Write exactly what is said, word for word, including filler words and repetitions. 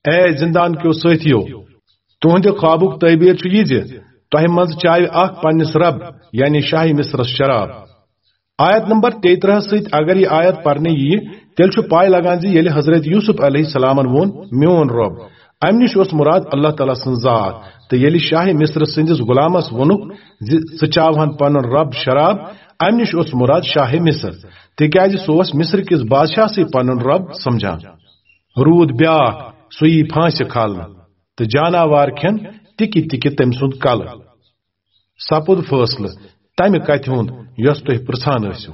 A زندان کیو ساتھیو، تُہنٛدِ خوابُک تعبیر چھُ یہِ زِ تۄہہِ منٛز چاوِ اکھ پننِس رب، یعنی شاہ مصرس شراب۔ آیت نمبر تیٚترٕہس سۭتۍ اگر یہِ آیت پرنہٕ ییہِ، تیٚلہِ چھُ پاے لگان زِ ییٚلہِ حضرت یوسف علیہ السلامن ووٚن، "میون رب"، امہِ نِش اوس مراد اللہ تعالیٰ سٕنٛز ذات۔ تہٕ ییٚلہِ شاہ مصر سٕنٛدِس غلامس ووٚنُکھ زِ "ژٕ چاوہن پنُن رب شراب"، امہِ نِش اوس مراد شاہ مصر، تِکیازِ سُہ اوس مصر کِس بادشاہسٕے پنُن رب سمجھان۔ روٗد بیاکھ، سُہ یی پھانسہِ کھالنہٕ، تہٕ جاناوار کھٮ۪ن تِکہِ تِکہِ تٔمۍ سُنٛد کلہٕ۔ سپُد فٲصلہٕ تمہِ کتھِ ہُنٛد یۄس تُہۍ پرژھان ٲسِو۔